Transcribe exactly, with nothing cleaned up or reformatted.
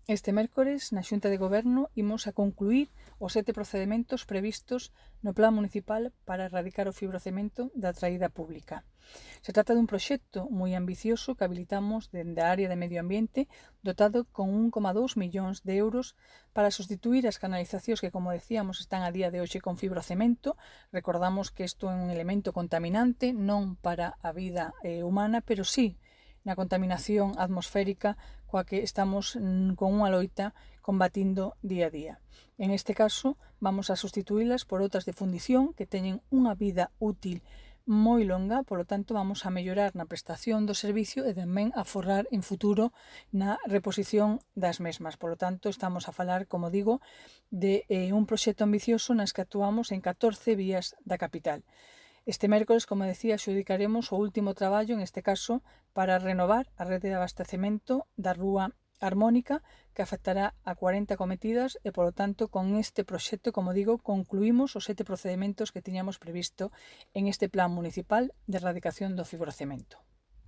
Este mércores, na Xunta de Goberno, imos a concluir os sete procedementos previstos no Plan Municipal para erradicar o fibrocemento da traída pública. Se trata dun proxecto moi ambicioso que habilitamos dende a área de Medio Ambiente, dotado con un coma dous millóns de euros para sustituir as canalizacións que, como decíamos, están a día de hoxe con fibrocemento. Recordamos que isto é un elemento contaminante non para a vida eh, humana, pero sí na contaminación atmosférica coa que estamos mm, con unha loita combatindo día a día. En este caso, vamos a sustituílas por outras de fundición que teñen unha vida útil moi longa, polo tanto vamos a mellorar na prestación do servicio e tamén a forrar en futuro na reposición das mesmas. Polo tanto, estamos a falar, como digo, de eh, un proxecto ambicioso nas que actuamos en catorce vías da capital. Este mércores, como decía, xudicaremos o último traballo, en este caso, para renovar a rede de abastecemento da Rúa Harmónica, que afectará a cuarenta cometidas e, polo tanto, con este proxecto, como digo, concluímos os sete procedementos que tiñamos previsto en este Plan Municipal de Erradicación do Fibrocemento.